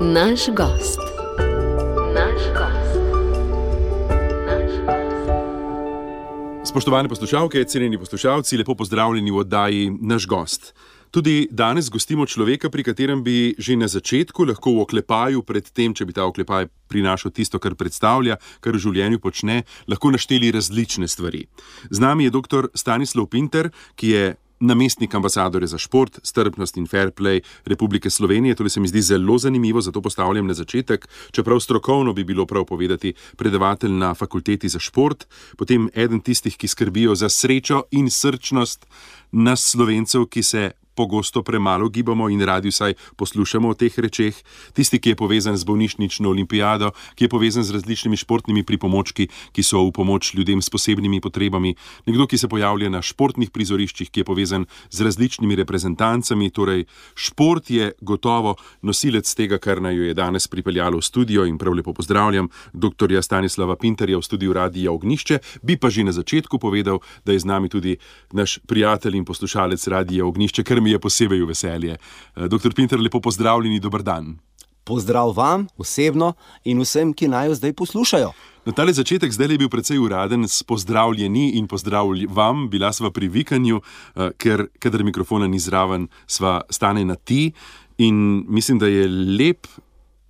Naš gost. Spoštovane poslušalke, cenjeni poslušalci, lepo pozdravljeni v oddaji Naš gost. Tudi danes gostimo človeka, pri katerem bi že na začetku lahko v oklepaju, pred tem, če bi ta oklepaj prinašal tisto, kar predstavlja, kar v življenju počne, lahko našteli različne stvari. Z nami je dr. Stanislav Pintar, ki je namestnik ambasadorja za šport, strpnost in fair play Republike Slovenije. To se mi zdi zelo zanimivo, zato postavljam na začetek, čeprav strokovno bi bilo prav povedati predavatelj na fakulteti za šport, potem eden tistih, ki skrbijo za srečo in srčnost nas Slovencev, ki se pogosto premalo gibamo in radi vsaj poslušamo o teh rečeh, tisti, ki je povezan z bolnišnično olimpijado, ki je povezan z različnimi športnimi pripomočki, ki so v pomoč ljudem s posebnimi potrebami, nekdo, ki se pojavlja na športnih prizoriščih, ki je povezan z različnimi reprezentancami, torej šport je gotovo nosilec tega, kar naju je danes pripeljalo v studio in prav lepo pozdravljam dr. Stanislava Pintarja v studiu Radia Ognjišče. Bi pa že na začetku povedal, da je z nami tudi naš prijatelj in poslušalec Radia Ognjišče, ker mi je posebej v veselje. Dr. Pintar, lepo pozdravljeni, dober dan. Pozdrav vam osebno in vsem, ki naju zdaj poslušajo. Na tale začetek zdaj je bil precej uraden s pozdravljeni in pozdrav vam. Bila sva pri vikanju, ker kadar mikrofona ni zraven, sva stane na ti in mislim, da je lep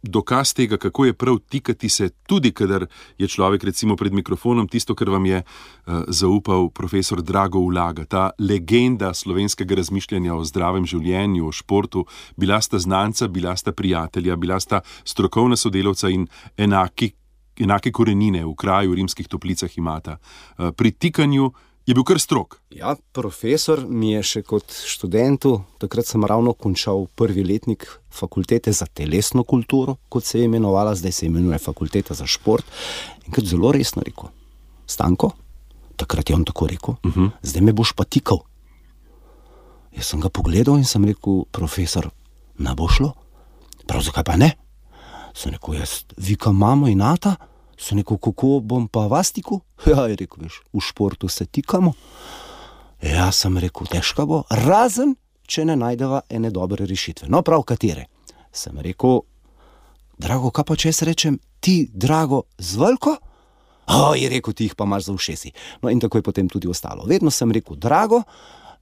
dokaz tega, kako je prav tikati se, tudi kadar je človek recimo pred mikrofonom, tisto, kar vam je zaupal profesor Drago Ulaga, ta legenda slovenskega razmišljanja o zdravem življenju, o športu. Bila sta znanca, bila sta prijatelja, bila sta strokovna sodelavca in enake korenine v kraju v Rimskih Toplicah imata. Pri tikanju je bil kar strog. Ja, profesor mi je še kot študentu, takrat sem ravno končal prvi letnik fakultete za telesno kulturo, kot se je imenovala, zdaj se imenuje fakulteta za šport, in kot zelo resno rekel: Stanko, takrat je on tako rekel, zdaj me boš pa tikal. Jaz sem ga pogledal in sem rekel: profesor, ne bo šlo? Prav zakaj pa ne? Sem rekel: jaz vikam mamo in ata. Sem rekel: kako bom pa vas tikal? Ja, je rekel: veš, v športu se tikamo. Ja, sem rekel: težko bo, razen če ne najdeva ene dobre rešitve. No, prav katere? Sem rekel: Drago, kaj pa če jaz rečem ti, Drago, z veliko? Je rekel: ti jih pa imaš za ušesi. No, in tako je potem tudi ostalo. Vedno sem rekel Drago,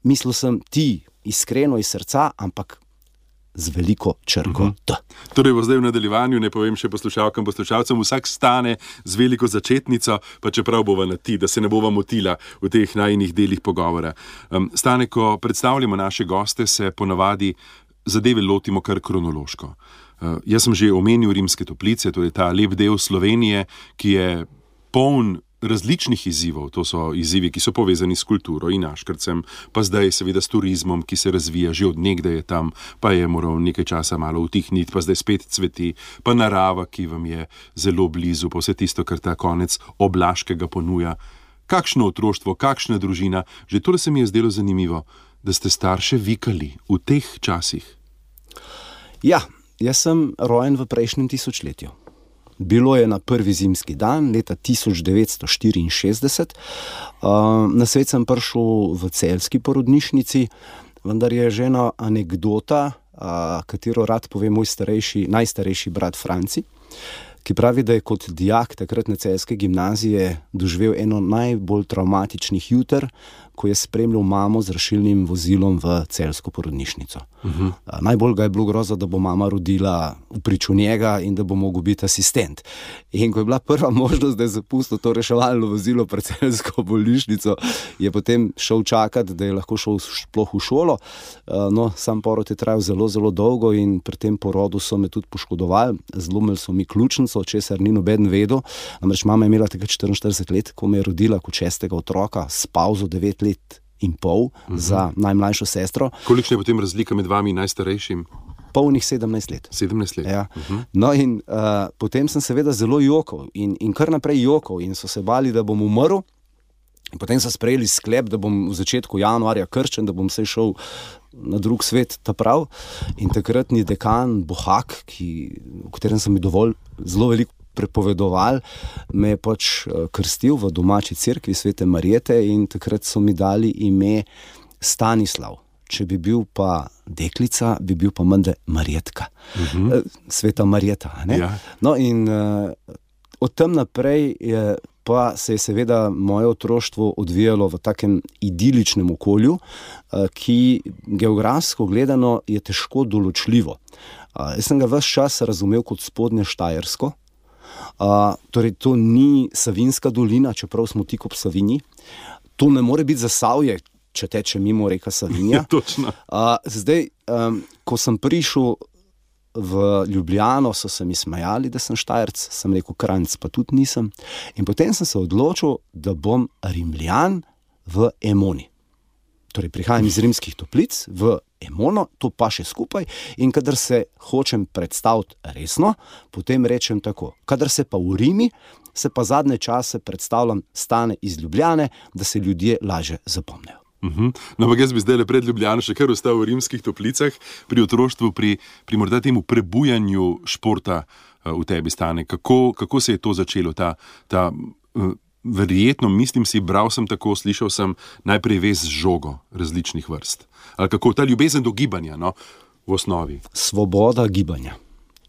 mislil sem ti iskreno iz srca, ampak z veliko črko T. Torej bo zdaj v nadaljevanju, ne povem še poslušalkam, poslušalcem, vsak stane z veliko začetnico, pa čeprav bova na ti, da se ne bova motila v teh najinih delih pogovora. Stane, ko predstavljamo naše goste, se ponavadi zadeve lotimo kar kronološko. Jaz sem že omenil Rimske Toplice, to je ta lep del Slovenije, ki je poln različnih izzivov. To so izzivi, ki so povezani s kulturo in Aškrcem, pa zdaj seveda s turizmom, ki se razvija, že od nekdaj je tam, pa je moral nekaj časa malo utihniti, pa zdaj spet cveti, pa narava, ki vam je zelo blizu, pa vse tisto, kar ta konec Oblaškega ponuja. Kakšno otroštvo, kakšna družina. Že tole se mi je zdelo zanimivo, da ste starše vikali v teh časih. Ja, jaz sem rojen v prejšnjem tisočletju. Bilo je na prvi zimski dan leta 1964. Na svet sem prišel v celjski porodnišnici, vendar je že ena anekdota, katero rad pove moj najstarejši brat Franci, ki pravi, da je kot dijak takratne celjske gimnazije doživel eno najbolj travmatičnih juter, ko je spremljal mamo z rešilnim vozilom v celjsko porodnišnico. Najbolj ga je bilo groza, da bo mama rodila v priču njega in da bo mogel biti asistent. In ko je bila prva možnost, da je zapustil to reševalno vozilo pred celjsko bolnišnico, je potem šel čakati, da je lahko šel sploh v šolo. No, sam porod je trajal zelo, zelo dolgo in pri tem porodu so me tudi poškodovali. Zlomili so mi ključnico, česar ni noben vedel. Namreč mama je imela takrat 44 let, ko me je rodila kot 6. otroka, s pavzo 9 let in pol za najmlajšo sestro. Kolikšna je potem razlika med vami in najstarejšim? Polnih 17 let. 17 let. Ja. No in potem sem seveda zelo jokal in kar naprej jokal in so se bali, da bom umrl. In potem so sprejeli sklep, da bom v začetku januarja krščen, da bom se šel na drug svet, ta prav. In takratni dekan Bohak, o katerem sem mi dovolj zelo veliko prepovedoval, me je pač krstil v domači cerkvi Svete Marjete in takrat so mi dali ime Stanislav. če bi bil pa deklica, bi bil pa menda Marjetka. Sveta Marjeta. Ne? Ja. No in od tam naprej pa se je seveda moje otroštvo odvijalo v takem idiličnem okolju, ki geografsko gledano je težko določljivo. Jaz sem ga ves čas razumel kot Spodnje Štajersko, torej to ni Savinjska dolina, čeprav smo tik ob Savinji. To ne more biti Zasavje, če teče mimo reka Savinja. Točno. Zdaj, ko sem prišel v Ljubljano, so se mi smejali, da sem Štajerc, sem rekel Kranjc, pa tudi nisem. In potem sem se odločil, da bom Rimljan v Emoni. Torej, prihajam iz Rimskih Toplic v Emono, to pa še skupaj, in kadar se hočem predstaviti resno, potem rečem tako. Kadar se pa v Rimi, se pa zadnje čase predstavljam Stane iz Ljubljane, da se ljudje lažje zapomnijo. No, ampak jaz bi zdaj pred Ljubljano še kar ostal v Rimskih Toplicah, pri otroštvu, pri morda temu prebujanju športa v tebi, Stane. Kako se je to začelo, ta verjetno, mislim si, bral sem tako, slišal sem najprej vez z žogo različnih vrst. Ali kako ta ljubezen do gibanja, no, v osnovi? Svoboda gibanja.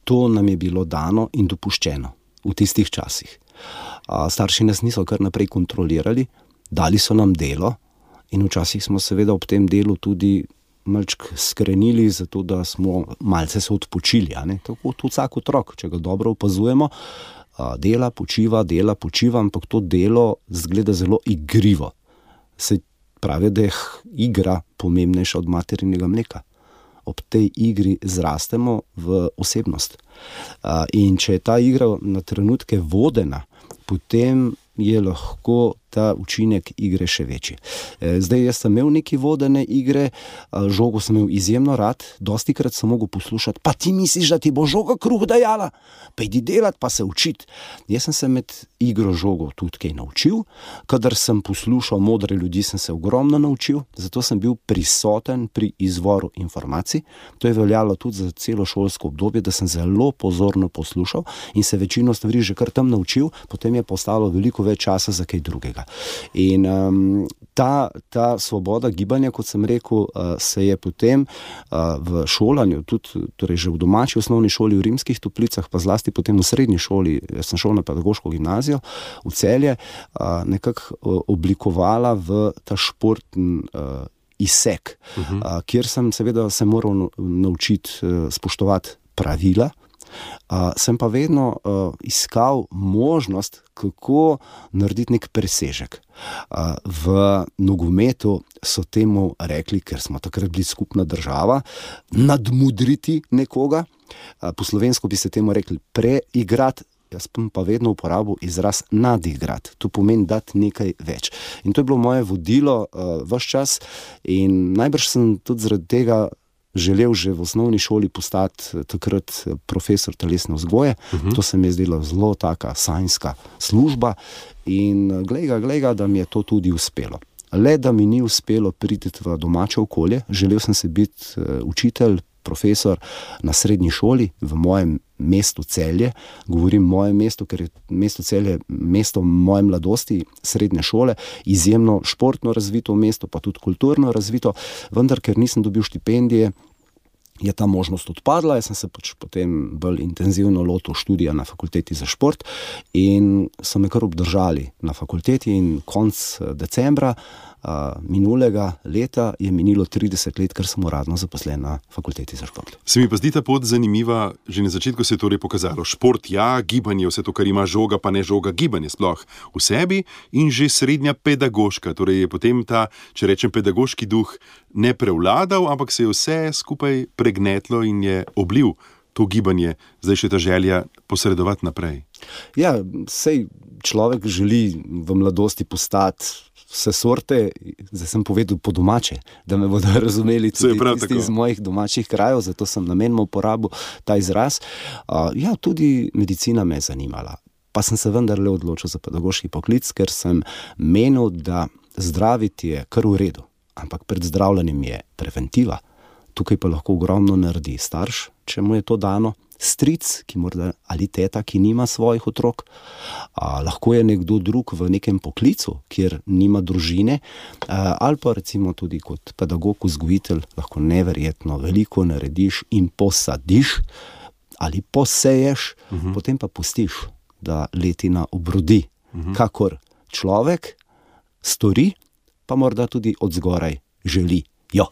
To nam je bilo dano in dopuščeno v tistih časih. Starši nas niso kar naprej kontrolirali, dali so nam delo, in včasih smo seveda ob tem delu tudi malček skrenili, zato da smo malce se odpočili. Tako tudi vsak otrok, če ga dobro opazujemo, dela, počiva, ampak to delo zgleda zelo igrivo. Se pravi, da je igra pomembnejša od materinega mleka. Ob tej igri zrastemo v osebnost. In če je ta igra na trenutke vodena, potem je lahko ta učinek igre še večji. Zdaj, jaz sem imel neki vodene igre, žogo sem imel izjemno rad, dostikrat sem mogel poslušati, pa ti misliš, da ti bo žoga kruh dajala? Pa idi delat, pa se učit. Jaz sem se med igro žogo tudi kaj naučil, kadar sem poslušal modre ljudi, sem se ogromno naučil, zato sem bil prisoten pri izvoru informacij. To je veljalo tudi za celo šolsko obdobje, da sem zelo pozorno poslušal in se večino stvari že kar tam naučil, potem je postalo veliko več časa za kaj drugega. In ta svoboda gibanja, kot sem rekel, se je potem v šolanju, tudi torej že v domači osnovni šoli v Rimskih Toplicah, pa zlasti potem v srednji šoli, jaz sem šel na pedagoško gimnazijo v Celje, nekako oblikovala v ta športni izsek, kjer sem seveda se moral naučiti spoštovati pravila. Sem pa vedno iskal možnost, kako narediti nek presežek. V nogometu so temu rekli, ker smo takrat bili skupna država, nadmudriti nekoga. Po slovensko bi se temu rekli preigrati, jaz pa vedno uporabil izraz nadigrati. To pomeni dati nekaj več. In to je bilo moje vodilo ves čas in najbrž sem tudi zaradi tega želel že v osnovni šoli postati takrat profesor telesne vzgoje. To se mi je zdela zelo taka sanjska služba in glej ga, da mi je to tudi uspelo. Le da mi ni uspelo priti v domače okolje, želel sem se biti učitelj, profesor na srednji šoli v mojem mestu Celje. Govorim moje mesto, ker je mesto Celje mesto moje mladosti, srednje šole, izjemno športno razvito mesto, pa tudi kulturno razvito, vendar ker nisem dobil štipendije, je ta možnost odpadla. Jaz sem se potem bolj intenzivno lotil študija na fakulteti za šport in so me kar obdržali na fakulteti in konec decembra minulega leta je minilo 30 let, ker sem uradno zaposlen na fakulteti za šport. Se mi pa zdi ta pot zanimiva, že na začetku se je torej pokazalo. Šport, ja, gibanje, vse to, kar ima žoga, pa ne žoga, gibanje sploh v sebi in že srednja pedagoška. Torej je potem ta, če rečem, pedagoški duh ne prevladal, ampak se je vse skupaj pregnetlo in je oblil to gibanje, zdaj še ta želja posredovati naprej. Ja, sej človek želi v mladosti postati vse sorte, zdaj sem povedal po domače, da me bodo razumeli tudi tisti iz mojih domačih krajev, zato sem namenoma uporabil ta izraz. Ja, tudi medicina me je zanimala, pa sem se vendarle odločil za pedagoški poklic, ker sem menil, da zdraviti je kar v redu, ampak pred zdravljenjem je preventiva. Tukaj pa lahko ogromno naredi starš, če mu je to dano, stric, ki morda, ali teta, ki nima svojih otrok, lahko je nekdo drug v nekem poklicu, kjer nima družine, ali pa recimo tudi kot pedagog, vzgojitelj, lahko neverjetno veliko narediš in posadiš ali poseješ, potem pa pustiš, da letina obrodi, kakor človek stori, pa morda tudi od zgoraj želi. Jo.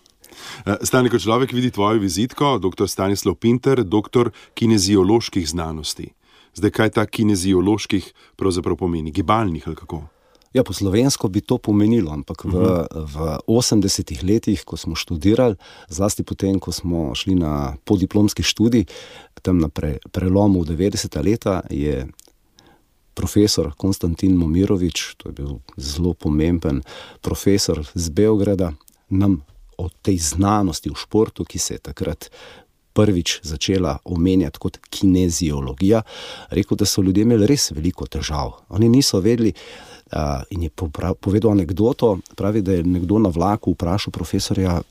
Stane, ko človek vidi tvojo vizitko, dr. Stanislav Pinter, doktor kinezioloških znanosti. Zdaj, kaj ta kinezioloških pravzaprav pomeni? Gibalnih ali kako? Ja, po slovensko bi to pomenilo, ampak v 80-ih letih, ko smo študirali, zlasti potem, ko smo šli na podiplomski študij, tam na prelomu 90. leta, je profesor Konstantin Momirovič, to je bil zelo pomemben profesor z Beograda, nam o tej znanosti v športu, ki se je takrat prvič začela omenjati kot kineziologija, rekel, da so ljudje imeli res veliko težav. Oni niso vedeli, in je povedal anekdoto, pravi, da je nekdo na vlaku vprašal profesorja,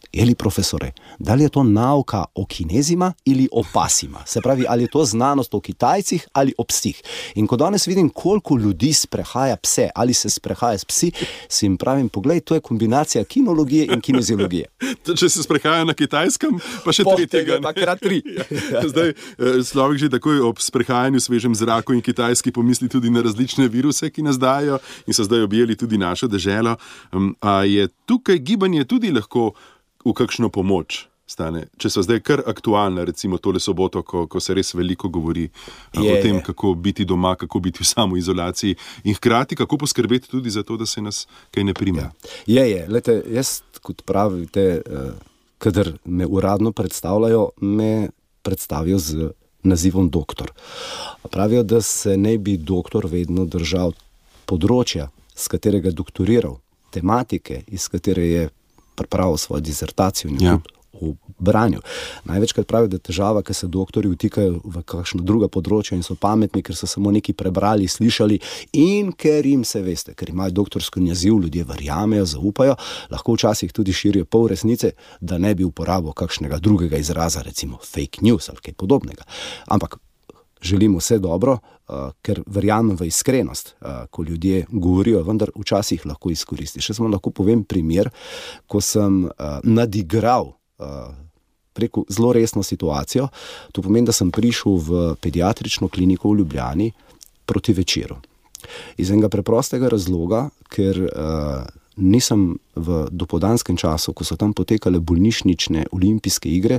Eli profesore, da li je to nauka o kinezima ali o pasima? Se pravi, ali je to znanost o Kitajcih ali o psih? In ko danes vidim, koliko ljudi sprehaja pse ali se sprehaja s psi, si jim pravim, poglej, to je kombinacija kinologije in kineziologije. Če se sprehaja na Kitajskem, pa še tretjega. Pa krat 3. Zdaj, človek že takoj ob sprehajanju v svežem zraku in Kitajski pomisli tudi na različne viruse, ki nas dajo in so zdaj objeli tudi našo deželo. A je tukaj gibanje tudi lahko v kakšno pomoč, Stane? Če so zdaj kar aktualne, recimo tole soboto, ko se res veliko govori o tem, kako biti doma, kako biti v samoizolaciji in hkrati kako poskrbeti tudi za to, da se nas kaj ne prime. Ja. Lejte, jaz, kot pravite, kadar me uradno predstavljajo, me predstavijo z nazivom doktor. Pravijo, da se ne bi doktor vedno držal področja, s katerega je doktoriral, tematike, iz katere je pripravil svojo disertacijo in tudi v branju. Največkrat pravijo, da je težava, ker se doktorji vtikajo v kakšna druga področja in so pametni, ker so samo nekaj prebrali, slišali in ker jim se, veste, ker imajo doktorski naziv, ljudje verjamejo, zaupajo, lahko včasih tudi širijo pol resnice, da ne bi uporabil kakšnega drugega izraza, recimo fake news ali kaj podobnega. Ampak želim vse dobro, ker verjamem v iskrenost, ko ljudje govorijo, vendar včasih lahko izkoristi. Še samo lahko povem primer, ko sem nadigral preko zelo resno situacijo. To pomeni, da sem prišel v pediatrično kliniko v Ljubljani proti večeru. Iz enega preprostega razloga, ker nisem v dopoldanskem času, ko so tam potekale bolnišnične olimpijske igre,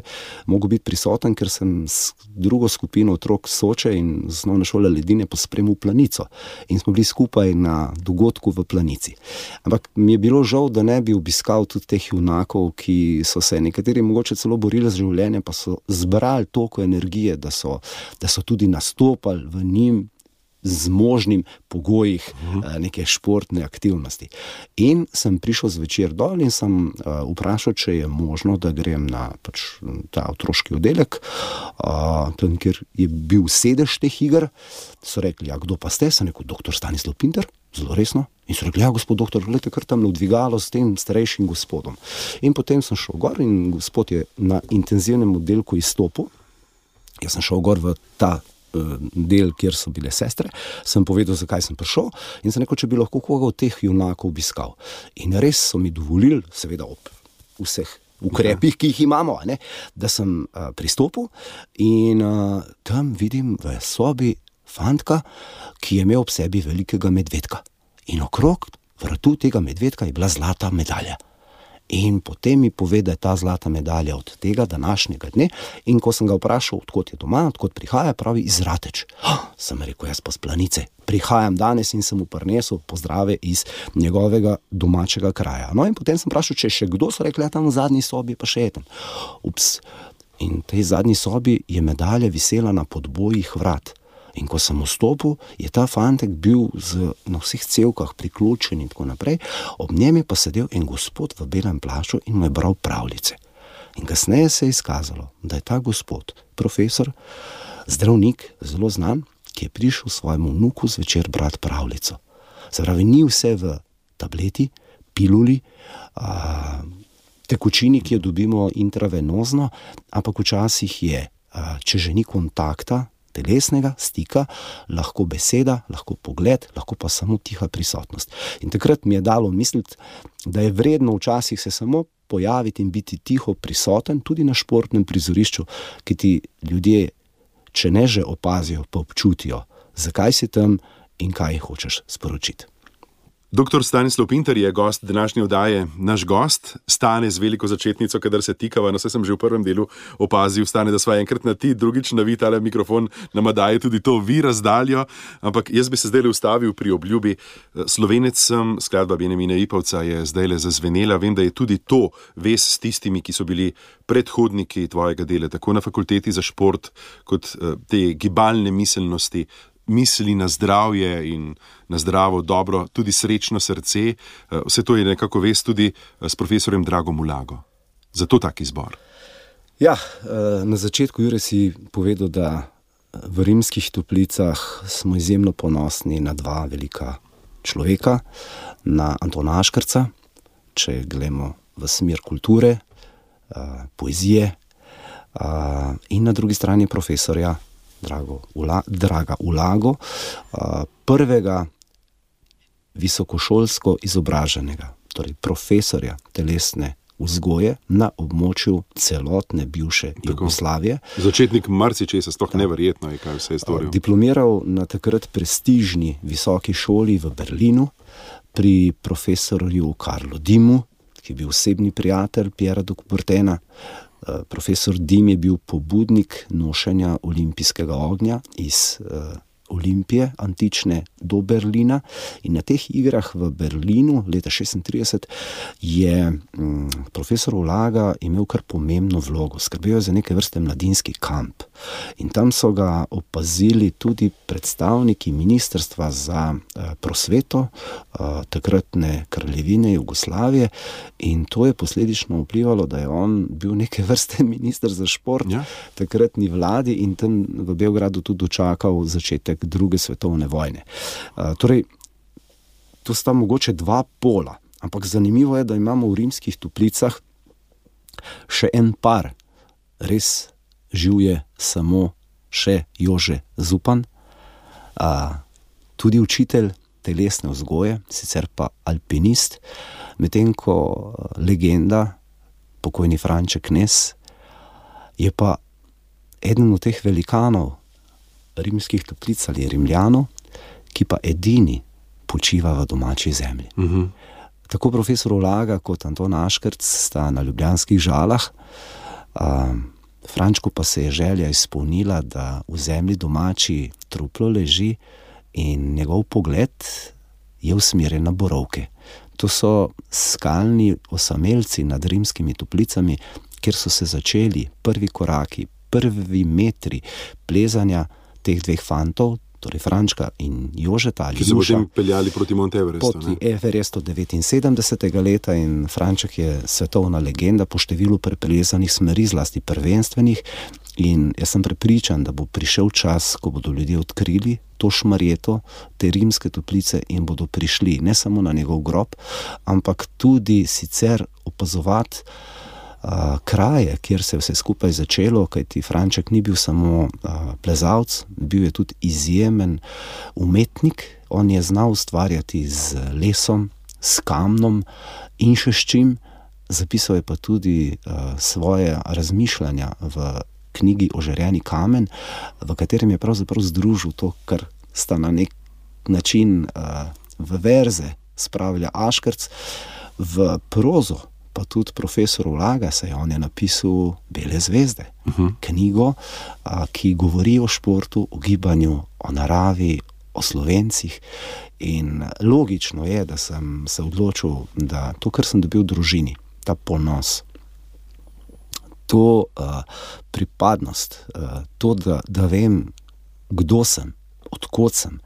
mogel biti prisoten, ker sem s drugo skupino otrok Soče in z osnovne šole Ledine pospremil Planico. In smo bili skupaj na dogodku v Planici. Ampak mi je bilo žal, da ne bi obiskal tudi teh junakov, ki so se nekateri mogoče celo borili z življenjem, pa so zbrali toliko energije, da so tudi nastopali v njim zmožnim pogojih neke športne aktivnosti. In sem prišel zvečer dol in sem vprašal, če je možno, da grem na ta otroški oddelek, tam, kjer je bil sedež teh iger. So rekli, kdo pa ste? Sem rekel, doktor Stanislav Pinter, zelo resno. In so rekli, gospod doktor, gledajte, kar tam dvigalo s tem starejšim gospodom. In potem sem šel gor in gospod je na intenzivnem oddelku izstopil. Jaz sem šel gor v ta del, kjer so bile sestre, sem povedal, zakaj sem prišel in sem rekel, če bi lahko koga od teh junakov obiskal. In res so mi dovolili, seveda ob vseh ukrepih, ki jih imamo, da sem pristopil in tam vidim v sobi fantka, ki je imel ob sebi velikega medvedka. In okrog vratu tega medvedka je bila zlata medalja. In potem mi pove, da je ta zlata medalja od tega današnjega dne. In ko sem ga vprašal, odkot je doma, odkot prihaja, pravi iz Rateč. Sem rekel, jaz pa s Planice. Prihajam danes in sem mu prinesel pozdrave iz njegovega domačega kraja. No in potem sem vprašal, če še kdo, so rekli, tam v zadnji sobi pa še eden. Ups. In v tej zadnji sobi je medalja visela na podbojih vrat. In ko sem vstopil, je ta fantek bil na vseh cevkah priključen in tako naprej, ob njem je pa sedel en gospod v belem plašču in mu je bral pravljice. In kasneje se je izkazalo, da je ta gospod, profesor, zdravnik, zelo znan, ki je prišel svojemu vnuku zvečer brati pravljico. Se pravi, ni vse v tableti, piluli, tekočini, ki jo dobimo intravenozno, ampak včasih je če že ni kontakta, telesnega stika, lahko beseda, lahko pogled, lahko pa samo tiha prisotnost. In takrat mi je dalo misliti, da je vredno včasih se samo pojaviti in biti tiho prisoten, tudi na športnem prizorišču, ki ti ljudje, če ne že opazijo, pa občutijo, zakaj si tam in kaj hočeš sporočiti. Dr. Stanislav Pintar je gost današnje oddaje. Naš gost Stane z veliko začetnico, kadar se tikava, no, saj sem že v prvem delu opazil, Stane, da sva enkrat na ti, drugič na vi, tale mikrofon nama daje tudi to vi razdaljo, ampak jaz bi se zdaj ustavil pri obljubi. Slovenec sem, skladba Benjamina Ipavca je zdaj zazvenela, vem, da je tudi to vez s tistimi, ki so bili predhodniki tvojega dela, tako na fakulteti za šport, kot te gibalne miselnosti, misli na zdravje in na zdravo, dobro, tudi srečno srce. Vse to je nekako vez tudi s profesorjem Dragom Ulago. Zato tak izbor. Ja, na začetku, Jure, si povedal, da v Rimskih Toplicah smo izjemno ponosni na dva velika človeka, na Antona Aškerca, če gledamo v smer kulture, poezije, in na drugi strani profesorja Draga Ulago, prvega visokošolsko izobraženega, torej profesorja telesne vzgoje na območju celotne bivše Jugoslavije. Začetnik marsičesa, sploh neverjetno je, kaj vse je storil. Diplomiral na takrat prestižni visoki šoli v Berlinu pri profesorju Karlu Dimu, ki je bil osebni prijatelj Piera de Coubertina. Profesor Dim je bil pobudnik nošenja olimpijskega ognja iz Olimpije antične do Berlina in na teh igrah v Berlinu leta 1936 je profesor Ulaga imel kar pomembno vlogo. Skrbel je za neke vrste mladinski kamp in tam so ga opazili tudi predstavniki Ministrstva za prosveto takratne kraljevine Jugoslavije in to je posledično vplivalo, da je on bil neke vrste minister za šport takratni vladi in tam v Beogradu tudi dočakal začetek druge svetovne vojne. Torej, to sta mogoče dva pola, ampak zanimivo je, da imamo v Rimskih Toplicah še en par. Res živ je samo še Jože Zupan, tudi učitelj telesne vzgoje, sicer pa alpinist, medtem ko legenda, pokojni Franček Knez, je pa eden od teh velikanov Rimskih Toplic ali Rimljanov, ki pa edini počiva v domači zemlji. Tako profesor Ulaga kot Anton Aškerc sta na ljubljanskih Žalah, Frančku pa se je želja izpolnila, da v zemlji domači truplo leži in njegov pogled je usmerjen na Borovke. To so skalni osamelci nad Rimskimi Toplicami, kjer so se začeli prvi koraki, prvi metri plezanja teh dveh fantov, torej Frančka in Jožeta ali Nuša. Ki so potem peljali proti Mount Everestu. Proti Everestu 79. leta in Franček je svetovna legenda po številu preplezanih smeri, zlasti prvenstvenih, in jaz sem prepričan, da bo prišel čas, ko bodo ljudje odkrili to šmarjeto, te Rimske Toplice in bodo prišli ne samo na njegov grob, ampak tudi sicer opazovati kraje, kjer se je vse skupaj začelo, kajti Franček ni bil samo plezalec, bil je tudi izjemen umetnik. On je znal ustvarjati z lesom, s kamnom in še s čim. Zapisal je pa tudi svoje razmišljanja v knjigi Ožarjeni kamen, v katerem je pravzaprav združil to, kar sta na nek način v verze spravlja Aškerc, v prozo pa tudi profesor Ulaga, saj on je napisal Bele zvezde, knjigo, ki govori o športu, o gibanju, o naravi, o Slovencih. In logično je, da sem se odločil, da to, kar sem dobil v družini, ta ponos, to pripadnost, to, da vem, kdo sem, od kod sem,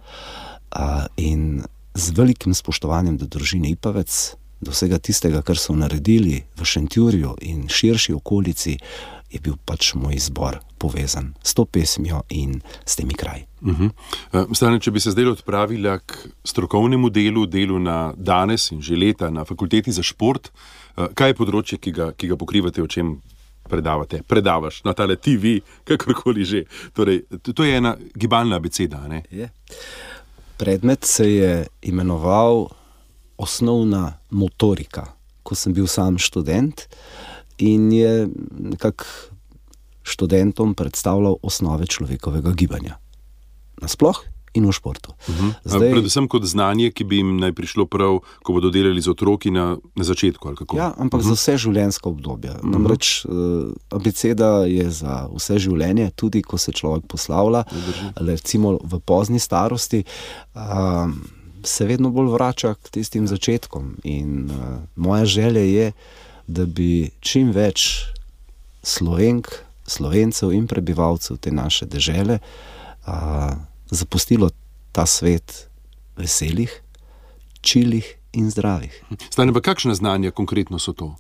in z velikim spoštovanjem do družine Ipavec, do vsega tistega, kar so naredili v Šentjurju in širši okolici, je bil pač moj izbor povezan s to pesmijo in s temi kraji. Stane, če bi se zdaj odpravila k strokovnemu delu na danes in že leta na fakulteti za šport, kaj je področje, ki ga pokrivate, o čem predavaš na tale TV, kakorkoli že. Torej, to je ena gibalna abeceda, ne? Je. Predmet se je imenoval osnovna motorika, ko sem bil sam študent in je nekako študentom predstavljal osnove človekovega gibanja. Nasploh in v športu. Predvsem kot znanje, ki bi jim naj prišlo prav, ko bodo delali z otroki na začetku, ali kako? Ja, ampak za vse življenjska obdobja. Namreč abeceda je za vse življenje, tudi ko se človek poslavlja, recimo v pozni starosti, se vedno bolj vrača k tistim začetkom. In moja želja je, da bi čim več Slovenk, Slovencev in prebivalcev te naše dežele zapustilo ta svet veselih, čilih in zdravih. Stane pa kakšna znanja konkretno so to?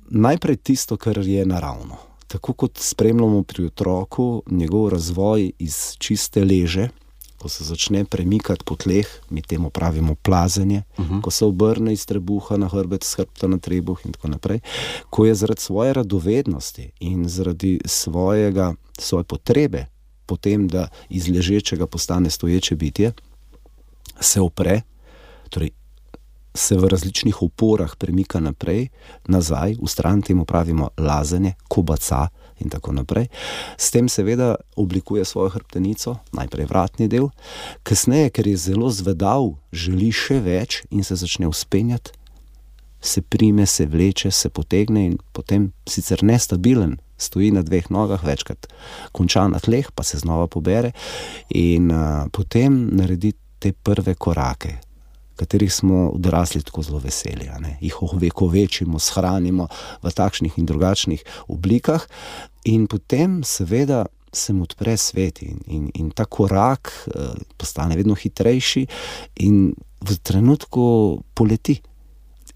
Najprej tisto, kar je naravno. Tako kot spremljamo pri otroku njegov razvoj iz čiste leže, ko se začne premikati po tleh, mi temu pravimo plazenje, ko se obrne iz trebuha na hrbet, s hrbta na trebuh in tako naprej, ko je zaradi svoje radovednosti in zaradi svoje potrebe potem, da iz ležečega postane stoječe bitje, se opre, torej se v različnih oporah premika naprej, nazaj, v stran, temu pravimo lazenje, kobaca in tako naprej. S tem seveda oblikuje svojo hrbtenico, najprej vratni del, kasneje, ker je zelo zvedav, želi še več in se začne vzpenjati, se prime, se vleče, se potegne in potem sicer nestabilen, stoji na dveh nogah, večkrat konča na tleh, pa se znova pobere in potem naredi te prve korake, katerih smo odrasli tako zelo veseli, jih ovekovečimo, shranimo v takšnih in drugačnih oblikah in potem seveda se mu odpre svet in ta korak postane vedno hitrejši in v trenutku poleti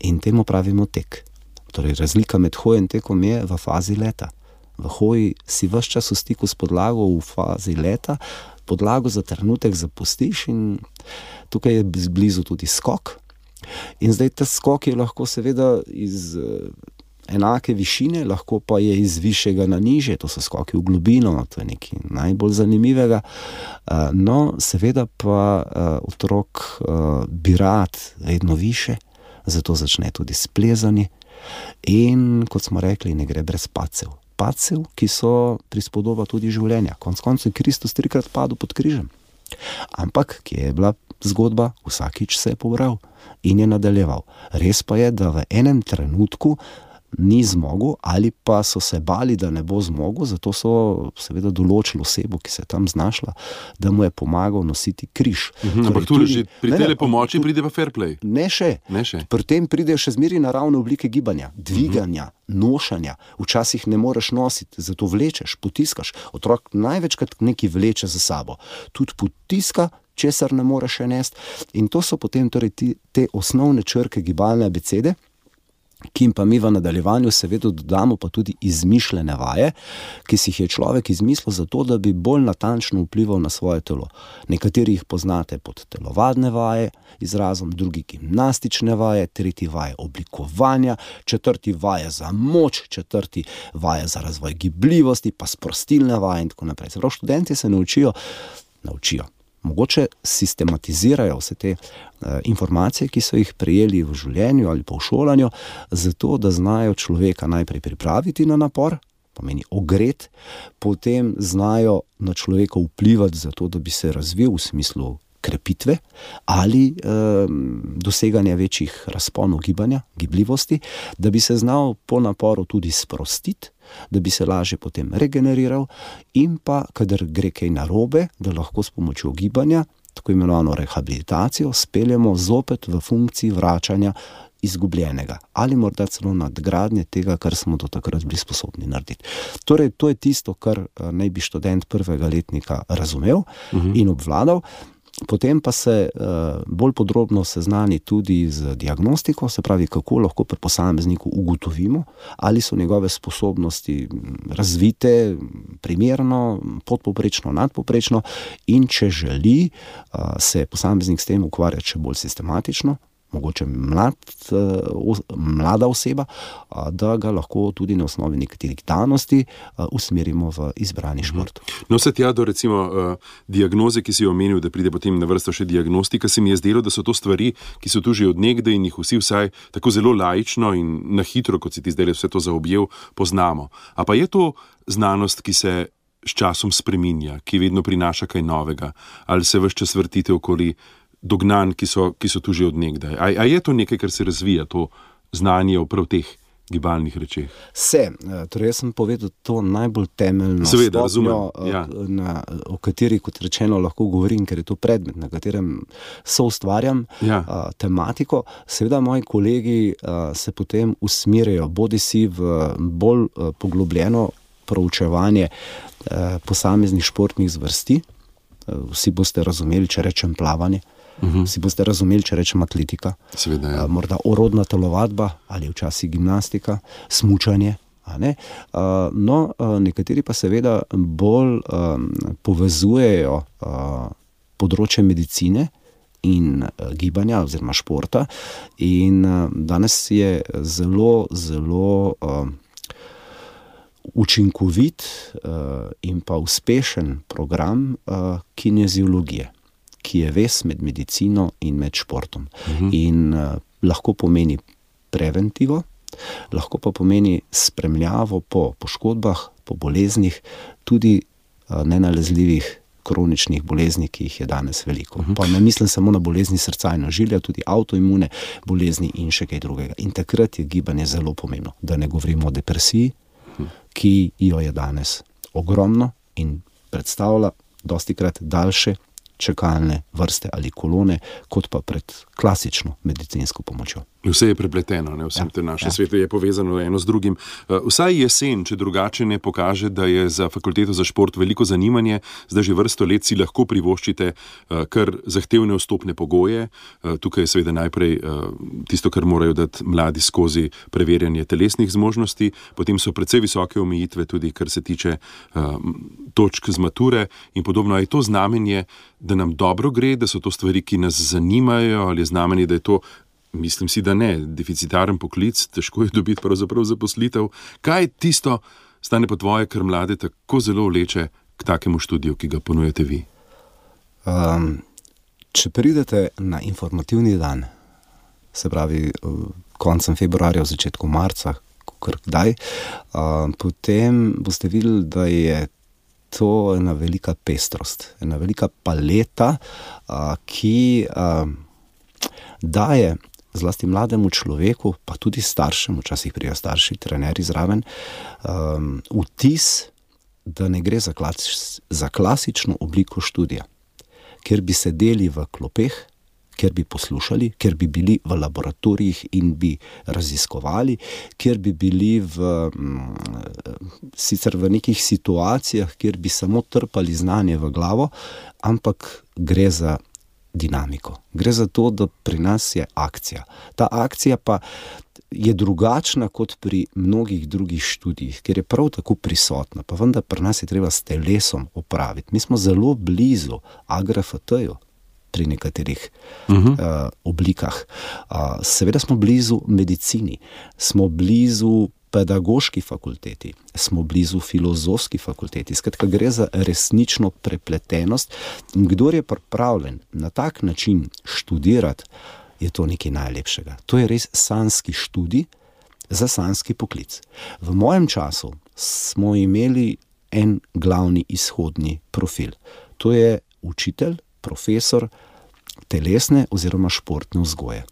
in temu pravimo tek. Torej razlika med hojo in tekom je v fazi leta. V hoji si ves čas v stiku s podlago, v fazi leta podlago za trenutek zapustiš in tukaj je blizu tudi skok. In zdaj ta skok je lahko seveda iz enake višine, lahko pa je iz višjega na nižje, to so skoki v globino, to je nekaj najbolj zanimivega. No, seveda pa otrok bi rad vedno više, zato začne tudi s plezanjem in, kot smo rekli, ne gre brez padcev. Padcev, ki so prispodoba tudi življenja. Konec koncev je Kristus 3-krat padel pod križem. Ampak, kje je bila zgodba? Vsakič se je pobral in je nadaljeval. Res pa je, da v enem trenutku ni zmogel ali pa so se bali, da ne bo zmogel, zato so seveda določili osebo, ki se je tam znašla, da mu je pomagal nositi križ. Ampak tudi pri tele pomoči pride pa fair play. Ne še. Pri tem pridejo še zmeri naravne oblike gibanja, dviganja, nošanja. Včasih ne moreš nositi, zato vlečeš, potiskaš. Otrok največkrat nekaj vleče za sabo. Tudi potiska, česar ne more še nesti. In to so potem torej te osnovne črke gibalne abecede, ki jim pa mi v nadaljevanju seveda dodamo pa tudi izmišljene vaje, ki si jih je človek izmislil zato, da bi bolj natančno vplival na svoje telo. Nekateri jih poznate pod telovadne vaje izrazom, drugi gimnastične vaje, tretji vaje oblikovanja, četrti vaje za moč, četrti vaje za razvoj gibljivosti, pa sprostilne vaje in tako naprej. Se pravi, študenti se naučijo, mogoče sistematizirajo vse te informacije, ki so jih prejeli v življenju ali pa v šolanju, zato da znajo človeka najprej pripraviti na napor, pomeni ogret, potem znajo na človeka vplivati zato, da bi se razvil v smislu krepitve ali doseganja večjih razponov gibanja, gibljivosti, da bi se znal po naporu tudi sprostiti, da bi se lažje potem regeneriral in pa, kadar gre kaj narobe, da lahko s pomočjo gibanja, tako imenovano rehabilitacijo, speljemo zopet v funkciji vračanja izgubljenega ali morda celo nadgradnje tega, kar smo do takrat bili sposobni narediti. Torej, to je tisto, kar naj bi študent prvega letnika razumel in obvladal. Potem pa se bolj podrobno seznani tudi z diagnostiko, se pravi, kako lahko pri posamezniku ugotovimo, ali so njegove sposobnosti razvite, primerno, podpovprečno, nadpovprečno in če želi se posameznik s tem ukvarjati še bolj sistematično, mogoče mlada oseba, da ga lahko tudi na osnovi nekaterih danosti usmerimo v izbrani šport. No, se tja do recimo diagnoze, ki si jo omenil, da pride potem na vrsto še diagnostika, se mi je zdelo, da so to stvari, ki so tu že od nekdaj in jih vsi vsaj tako zelo laično in na hitro, kot si ti zdaj vse to zaobjel, poznamo. A pa je to znanost, ki se s časom spreminja, ki vedno prinaša kaj novega, ali se ves čas vrtite okoli dognanj, ki so tu že od nekdaj? A je to nekaj, kar se razvija, to znanje o prav teh gibalnih rečeh? Torej jaz sem povedal to najbolj temeljno Seveda, stopnjo, razumem, o kateri, kot rečeno, lahko govorim, ker je to predmet, na katerem soustvarjam tematiko. Seveda moji kolegi se potem usmerjajo bodisi v bolj poglobljeno proučevanje posameznih športnih zvrsti. Vsi boste razumeli, če rečem plavanje, vsi boste razumeli, če rečem atletika, seveda, morda orodna telovadba ali včasih gimnastika, smučanje. Nekateri pa seveda bolj povezujejo področje medicine in gibanja oziroma športa, in danes je zelo, zelo učinkovit in pa uspešen program kineziologije, ki je vez med medicino in med športom. In lahko pomeni preventivo, lahko pa pomeni spremljavo po poškodbah, po boleznih, tudi nenalezljivih kroničnih bolezni, ki jih je danes veliko. Pa ne mislim samo na bolezni srca in ožilja, tudi avtoimune bolezni in še kaj drugega. In takrat je gibanje zelo pomembno, da ne govorimo o depresiji, ki jo je danes ogromno in predstavlja dostikrat daljše čakalne vrste ali kolone, kot pa pred klasično medicinsko pomočjo. Vse je prepleteno, vsem tem našem svetu je povezano eno z drugim. Vsaj jesen, če drugače ne pokaže, da je za fakulteto za šport veliko zanimanje, zdaj že vrsto let si lahko privoščite kar zahtevne vstopne pogoje. Tukaj je seveda najprej tisto, kar morajo dati mladi skozi preverjanje telesnih zmožnosti, potem so precej visoke omejitve tudi, kar se tiče točk z mature in podobno. Je to znamenje, da nam dobro gre, da so to stvari, ki nas zanimajo, ali je znamenje, da je to, mislim si, da ne, deficitaren poklic, težko je dobiti pravzaprav zaposlitev. Kaj je tisto, Stane, po tvoje, kar mlade tako zelo vleče k takemu študiju, ki ga ponujate vi? Če pridete na informativni dan, se pravi koncem februarja, v začetku marca, kdaj, potem boste videli, da je to ena velika pestrost, ena velika paleta, ki daje zlasti mlademu človeku, pa tudi staršem, včasih prijo starši, trenerji zraven, vtis, da ne gre za klasično obliko študija, kjer bi sedeli v klopeh, kjer bi poslušali, kjer bi bili v laboratorijih in bi raziskovali, kjer bi bili sicer v nekih situacijah, kjer bi samo trpali znanje v glavo, ampak gre za dinamiko. Gre za to, da pri nas je akcija. Ta akcija pa je drugačna kot pri mnogih drugih študijih, ker je prav tako prisotna, pa vendar pri nas je treba s telesom opraviti. Mi smo zelo blizu AGRFT-ju pri nekaterih oblikah. Seveda smo blizu medicini, smo blizu pedagoški fakulteti, smo blizu filozofski fakulteti. Skratka, gre za resnično prepletenost in kdor je pripravljen na tak način študirati, je to nekaj najlepšega. To je res sanjski študij za sanjski poklic. V mojem času smo imeli en glavni izhodni profil. To je učitelj, profesor telesne oziroma športne vzgoje.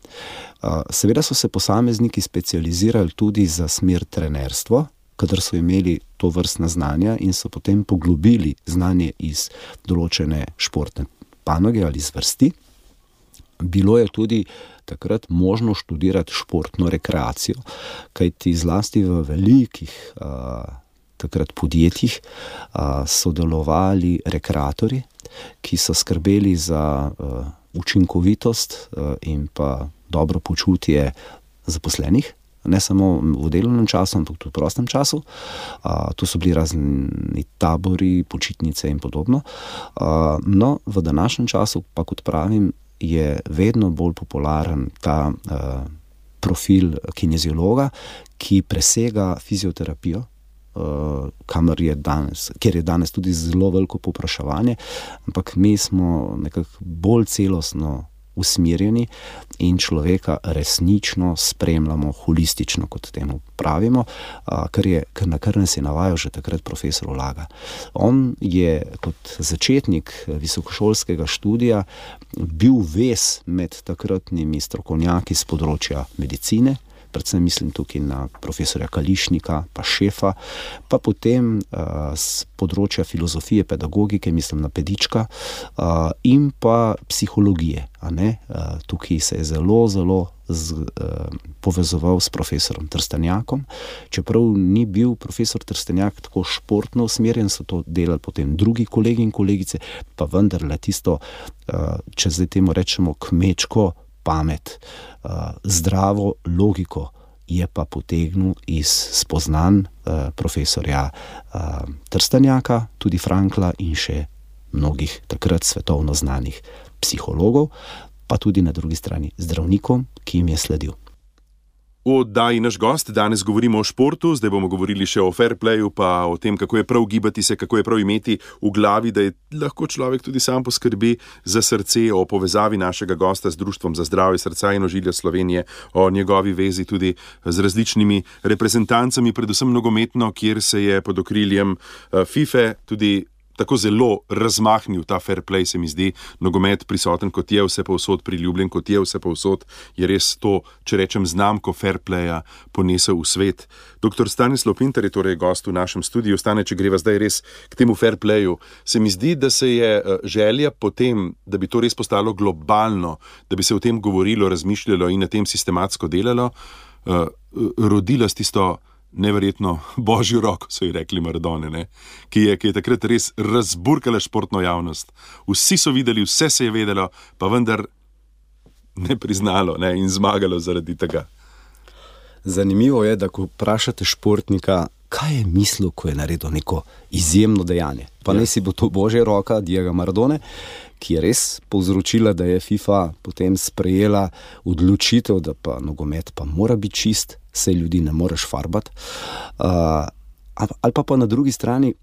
Seveda so se posamezniki specializirali tudi za smer trenerstvo, kadar so imeli to vrstna znanja in so potem poglobili znanje iz določene športne panoge ali zvrsti. Bilo je tudi takrat možno študirati športno rekreacijo, kajti zlasti v velikih takrat podjetjih sodelovali rekreatorji, ki so skrbeli za učinkovitost in pa dobro počutje zaposlenih, ne samo v delovnem času, ampak tudi v prostem času. To so bili razni tabori, počitnice in podobno. No, v današnjem času pa, kot pravim, je vedno bolj popularen ta profil kineziologa, ki presega fizioterapijo, kjer je danes tudi zelo veliko povpraševanje, ampak mi smo nekako bolj celostno usmerjeni in človeka resnično spremljamo holistično, kot temu pravimo, na kar nas je navajal že takrat profesor Ulaga. On je kot začetnik visokošolskega študija bil vez med takratnimi strokovnjaki z področja medicine, predvsem mislim tukaj na profesorja Kališnika, pa Šefa, pa potem z področja filozofije, pedagogike, mislim na Pedička, in pa psihologije. Tukaj se je zelo povezoval s profesorom Trstenjakom. Čeprav ni bil profesor Trstenjak tako športno usmerjen, so to delali potem drugi kolegi in kolegice, pa vendarle tisto, če zdaj temu rečemo kmečko pamet, zdravo logiko je pa potegnil iz spoznanj profesorja Trstenjaka, tudi Frankla in še mnogih takrat svetovno znanih psihologov, pa tudi na drugi strani zdravnikom, ki jim je sledil. V oddaji Naš gost danes govorimo o športu, zdaj bomo govorili še o fair playu, pa o tem, kako je prav gibati se, kako je prav imeti v glavi, da je lahko človek tudi sam poskrbi za srce, o povezavi našega gosta z Društvom za zdravje srca in ožilja Slovenije, o njegovi vezi tudi z različnimi reprezentancami, predvsem nogometno, kjer se je pod okriljem FIFA tudi tako zelo razmahnil ta fair play, se mi zdi, nogomet prisoten, kot je vse povsod, priljubljen, kot je vse povsod, je res to, če rečem, znamko fair playa ponesel v svet. Dr. Stanislav Pintar je torej gost v našem studiu. Stane, če greva zdaj res k temu fair playu, se mi zdi, da se je želja potem, da bi to res postalo globalno, da bi se o tem govorilo, razmišljalo in na tem sistematsko delalo, rodila s tisto neverjetno božjo roko, so ji rekli Maradone, ki je takrat res razburkala športno javnost. Vsi so videli, vse se je vedelo, pa vendar ne priznalo in zmagalo zaradi tega. Zanimivo je, da ko vprašate športnika, kaj je mislil, ko je naredil neko izjemno dejanje. Pa ne si bo to božja roka Diego Maradone, ki je res povzročila, da je FIFA potem sprejela odločitev, da pa nogomet pa mora biti čist, saj ljudi ne moreš farbati. Ali pa na drugi strani,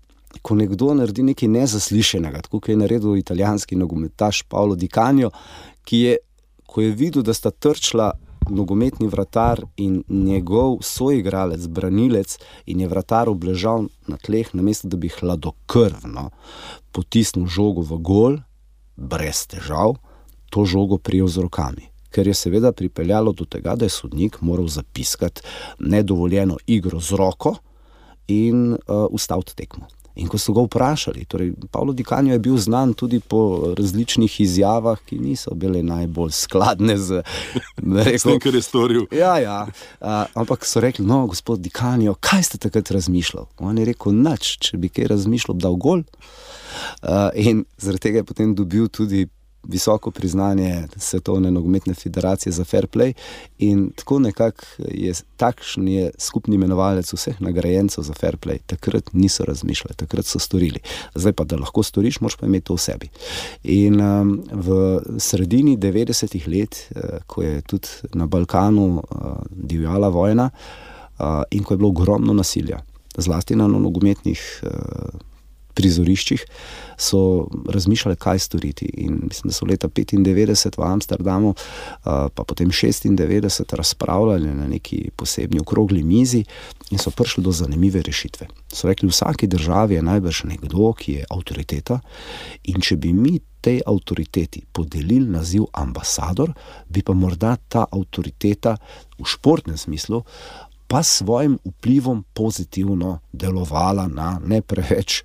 ko nekdo naredi nekaj nezaslišenega, tako kot je naredil italijanski nogometaš Paolo Di Canio, ko je videl, da sta trčila nogometni vratar in njegov soigralec, branilec, in je vratar obležal na tleh, namesto da bi hladnokrvno potisnil žogo v gol, brez težav, to žogo prijel z rokami. Ker je seveda pripeljalo do tega, da je sodnik moral zapiskati nedovoljeno igro z roko in ustaviti tekmo. In ko so ga vprašali, torej Paolo Di Canio je bil znan tudi po različnih izjavah, ki niso bile najbolj skladne z tem, kar je storil. Ja. Ampak so rekli, no, gospod Di Canio, kaj ste takrat razmišljali? On je rekel, nič, če bi kaj razmišljal, dal gol. In zaradi tega je potem dobil tudi visoko priznanje Svetovne nogometne federacije za fair play in tako nekako takšen je skupni imenovalec vseh nagrajencev za fair play. Takrat niso razmišljali, takrat so storili. Zdaj pa, da lahko storiš, moraš pa imeti to v sebi. In v sredini 90-ih let, ko je tudi na Balkanu divjala vojna in ko je bilo ogromno nasilja, zlasti na nogometnih prizoriščih, so razmišljali, kaj storiti. In mislim, da so leta 95 v Amsterdamu, pa potem 96 razpravljali na neki posebni okrogli mizi in so prišli do zanimive rešitve. So rekli, v vsaki državi je najbrž nekdo, ki je avtoriteta in če bi mi tej avtoriteti podelili naziv ambasador, bi pa morda ta avtoriteta v športnem smislu pa svojim vplivom pozitivno delovala na ne preveč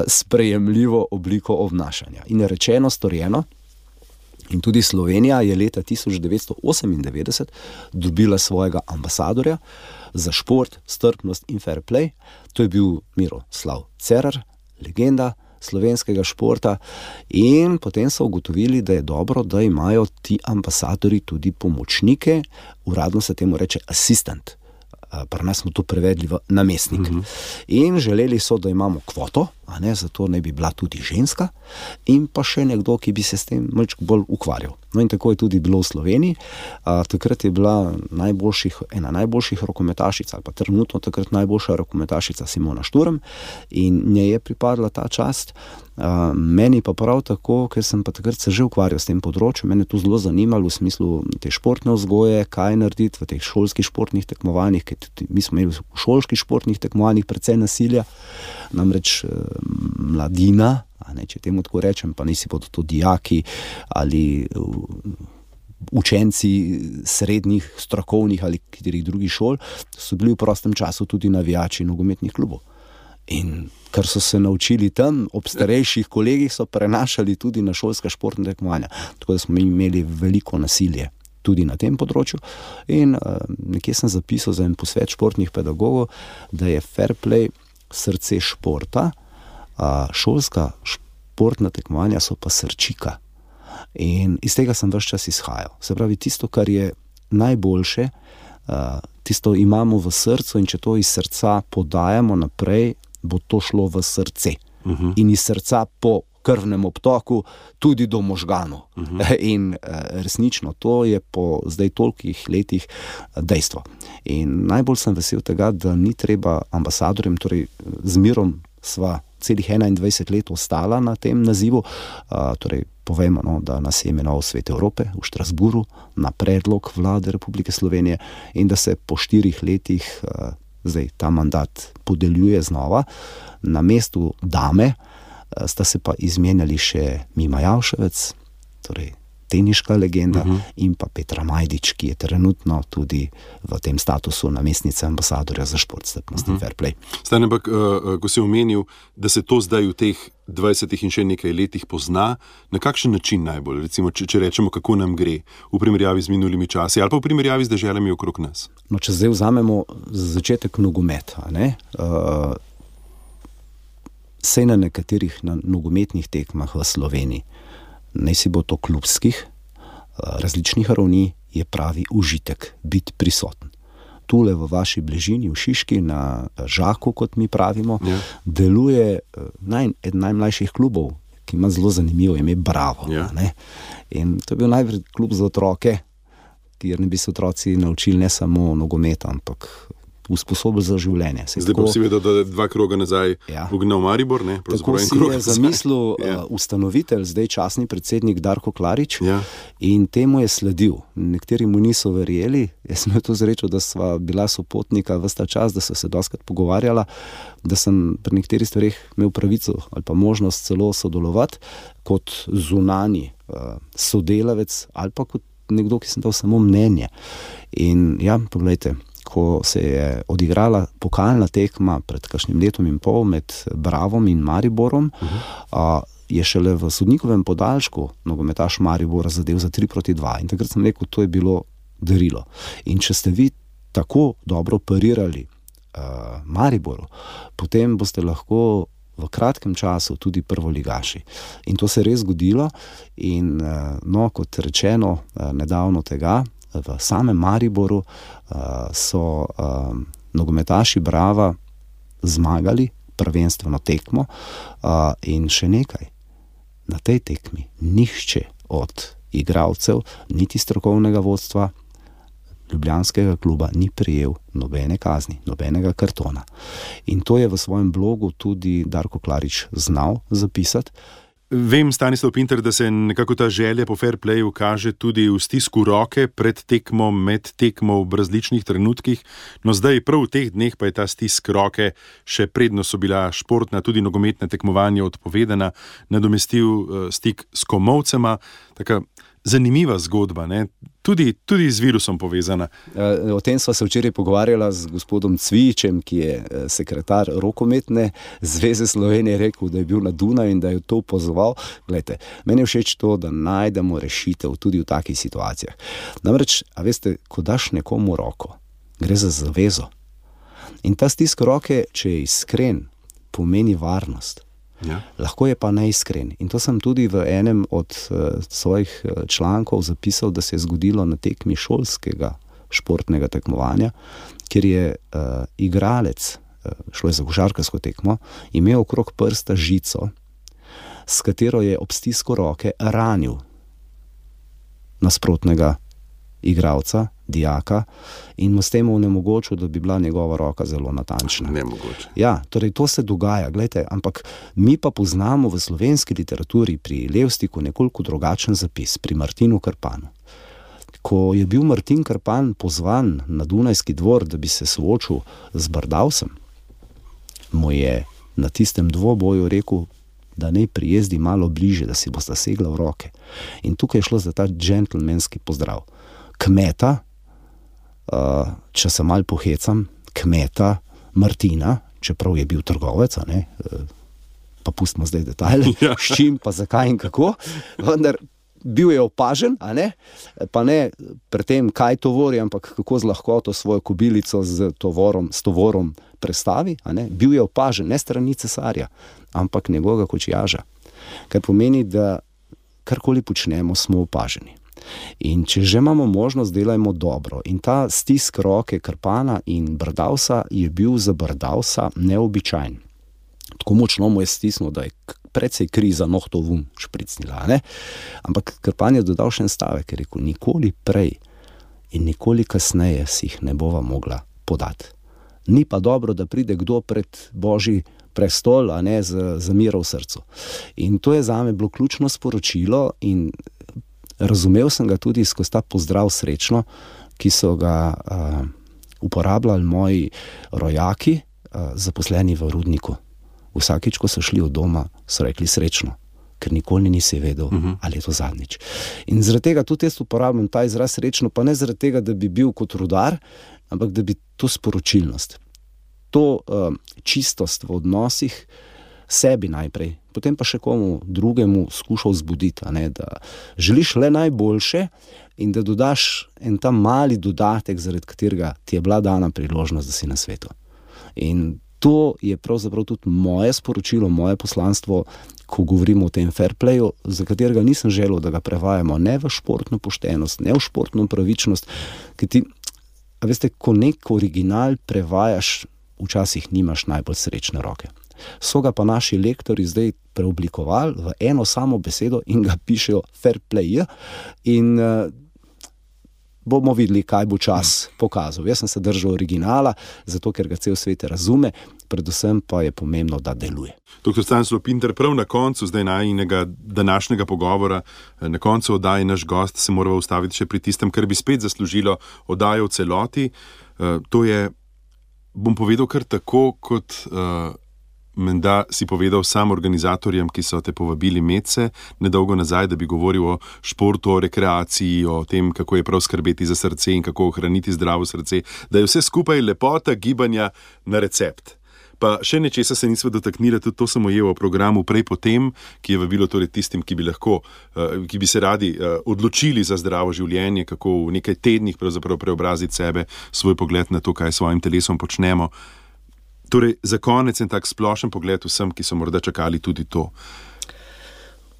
sprejemljivo obliko obnašanja. In rečeno, storjeno, in tudi Slovenija je leta 1998 dobila svojega ambasadorja za šport, strpnost in fair play. To je bil Miroslav Cerar, legenda slovenskega športa, in potem so ugotovili, da je dobro, da imajo ti ambasadori tudi pomočnike, uradno se temu reče assistant. Pri nas smo to prevedli v namestnik. In želeli so, da imamo kvoto zato naj bi bila tudi ženska in pa še nekdo, ki bi se s tem malček bolj ukvarjal. No in tako je tudi bilo v Sloveniji. Takrat je bila ena najboljših rokometašic, ali pa trenutno takrat najboljša rokometašica Simona Šturm, in njej je pripadla ta čast. Meni pa prav tako, ker sem pa takrat se že ukvarjal s tem področjem, mene to zelo zanimalo v smislu te športne vzgoje, kaj narediti v teh šolskih športnih tekmovanjih, ker mi smo imeli v šolskih športnih tekmovanjih precej nasilja, namreč mladina, če temu tako rečem, pa nisi bodo to dijaki ali učenci srednjih, strokovnih ali katerih drugih šol, so bili v prostem času tudi navijači nogometnih klubov. In kar so se naučili tam, ob starejših kolegih, so prenašali tudi na šolska športna tekmovanja. Tako da smo imeli veliko nasilje tudi na tem področju. In nekje sem zapisal za en posvet športnih pedagogov, da je fair play srce športa, šolska športna tekmovanja so pa srčika. In iz tega sem ves čas izhajal. Se pravi, tisto, kar je najboljše, tisto imamo v srcu, in če to iz srca podajamo naprej, bo to šlo v srce. In iz srca po krvnem obtoku tudi do možganov. In resnično, to je po zdaj tolikih letih dejstvo. In najbolj sem vesel tega, da ni treba ambasadorjem, torej z Mirom sva celih 21 let ostala na tem nazivu, torej povemo, da nas je imenoval Svet Evrope v Štrasburu na predlog Vlade Republike Slovenije, in da se po 4 letih zdaj ta mandat podeljuje znova. Na mestu dame sta se pa izmenjali še Mima Javševec, torej teniška legenda, in pa Petra Majdič, ki je trenutno tudi v tem statusu namestnice ambasadorja za šport, strpnost in fair play. Stane, ampak, ko si omenil, da se to zdaj v teh 20 in še nekaj letih pozna, na kakšen način najbolj? Recimo, če rečemo, kako nam gre v primerjavi z minulimi časi ali pa v primerjavi z deželami okrog nas? No, če zdaj vzamemo za začetek nogomet, sej na nekaterih nogometnih tekmah v Sloveniji, naj si bo to klubskih, različnih ravni, je pravi užitek biti prisoten. Tule v vaši bližini, v Šiški, na Žaku, kot mi pravimo, deluje eden najmlajših klubov, ki ima zelo zanimivo ime Bravo. In to je bil najprej klub za otroke, kjer ne bi se otroci naučili ne samo nogometa, ampak usposobili za življenje. Zdaj pa si vedel, da 2 kroga nazaj ugnal Maribor, ne? Tako si je zamislil ustanovitelj, zdaj častni predsednik Darko Klarič, in temu je sledil. Nekateri mu niso verjeli, jaz sem to zrečil, da sva bila sopotnika ves ta čas, da so se dostakrat pogovarjala, da sem pri nekaterih stvareh imel pravico ali pa možnost celo sodelovati kot zunanji sodelavec ali pa kot nekdo, ki sem dal samo mnenje. In poglejte, ko se je odigrala pokalna tekma pred kakšnim letom in pol med Bravom in Mariborom, je šele v sodnikovem podaljšku nogometaš Maribora zadev za 3-2. In takrat sem rekel, to je bilo darilo. In če ste vi tako dobro parirali Mariboru, potem boste lahko v kratkem času tudi prvoligaši. In to se je res zgodilo. In kot rečeno, nedavno tega, v samem Mariboru so nogometaši Brava zmagali prvenstveno tekmo, in še nekaj. Na tej tekmi nihče od igralcev, niti strokovnega vodstva ljubljanskega kluba ni prejel nobene kazni, nobenega kartona. In to je v svojem blogu tudi Darko Klarič znal zapisati. Vem, Stanislav Pintar, da se nekako ta želja po fair playu kaže tudi v stisku roke pred tekmo, med tekmo v različnih trenutkih. No zdaj, prav v teh dneh pa je ta stisk roke, še predno so bila športna, tudi nogometna tekmovanja odpovedana, nadomestil stik s komolcema. Taka zanimiva zgodba, ne? Tudi z virusom povezana. O tem sva se včeraj pogovarjala z gospodom Cvijičem, ki je sekretar rokometne zveze Slovenije, rekel, da je bil na Dunaju in da je to pozval. Glejte, meni je všeč to, da najdemo rešitev tudi v takih situacijah. Namreč, veste, ko daš nekomu roko, gre za zavezo. In ta stisk roke, če je iskren, pomeni varnost. Lahko je pa neiskren. In to sem tudi v enem od svojih člankov zapisal, da se je zgodilo na tekmi šolskega športnega tekmovanja, kjer je igralec šlo je za košarkarsko tekmo, imel okrog prsta žico, s katero je ob stisku roke ranil nasprotnega igralca, dijaka, in mu s tem onemogočil, da bi bila njegova roka zelo natančna. Nemogoče. Ja, torej to se dogaja, glejte, ampak mi pa poznamo v slovenski literaturi pri Levstiku nekoliko drugačen zapis, pri Martinu Krpanu. Ko je bil Martin Krpan pozvan na Dunajski dvor, da bi se soočil z Brdavsem, mu je na tistem dvoboju rekel, da naj prijezdi malo bliže, da si bosta segla v roke. In tukaj je šlo za ta džentlmenski pozdrav. Kmeta, če se malo pohecam, kmeta Martina, čeprav je bil trgovec, pa pustimo zdaj detajle, s čim, pa zakaj in kako, vendar bil je opažen, pa ne pri tem, kaj tovori, ampak kako z lahkoto svojo kobilico s tovorom prestavi, bil je opažen, ne strani cesarja, ampak njegovega kočijaža. Kar pomeni, da karkoli počnemo, smo opaženi. In če že imamo možnost, delajmo dobro. In ta stisk roke Krpana in Brdavsa je bil za Brdavsa neobičajen. Tako močno mu je stisnil, da je precej kri za nohto vun špricnila. Ampak Krpan je dodal še en stavek, je rekel, nikoli prej in nikoli kasneje si jih ne bova mogla podati. Ni pa dobro, da pride kdo pred Božji prestol, z miro v srcu. In to je zame bilo ključno sporočilo in razumel sem ga tudi skozi ta pozdrav srečno, ki so ga uporabljali moji rojaki, zaposleni v rudniku. Vsakič, ko so šli od doma, so rekli srečno, ker nikoli nisi vedel, ali je to zadnjič. In zaradi tega tudi jaz uporabljam ta izraz srečno, pa ne zaradi tega, da bi bil kot rudar, ampak da bi to sporočilnost, to čistost v odnosih sebi najprej, potem pa še komu drugemu skušal zbuditi, da želiš le najboljše in da dodaš en ta mali dodatek, zaradi katerega ti je bila dana priložnost, da si na svetu. In to je pravzaprav tudi moje sporočilo, moje poslanstvo, ko govorimo o tem fair playu, za katerega nisem želel, da ga prevajamo ne v športno poštenost, ne v športno pravičnost, ker ti, veste, ko nek original prevajaš, včasih nimaš najbolj srečne roke. So ga pa naši lektori zdaj preoblikovali v eno samo besedo in ga pišejo fair play in bomo videli, kaj bo čas pokazal. Jaz sem se držal originala, zato ker ga cel svet razume, predvsem pa je pomembno, da deluje. Dr. Stanislav Pintar, prav na koncu zdaj najinega današnjega pogovora, na koncu oddaje naš gost, se moramo ustaviti še pri tistem, kar bi spet zaslužilo oddajo v celoti. To je, bom povedal kar tako, kot menda si povedal sam organizatorjem, ki so te povabili medse nedolgo nazaj, da bi govoril o športu, o rekreaciji, o tem, kako je prav skrbeti za srce in kako ohraniti zdravo srce, da je vse skupaj lepota gibanja na recept. Pa še nečesa se nismo dotaknili, tudi to sem ujel v programu Prej potem, ki je vabilo torej tistim, ki bi se radi odločili za zdravo življenje, kako v nekaj tednih pravzaprav preobraziti sebe, svoj pogled na to, kaj s svojim telesom počnemo. Torej, za konec en tak splošen pogled vsem, ki so morda čakali tudi to.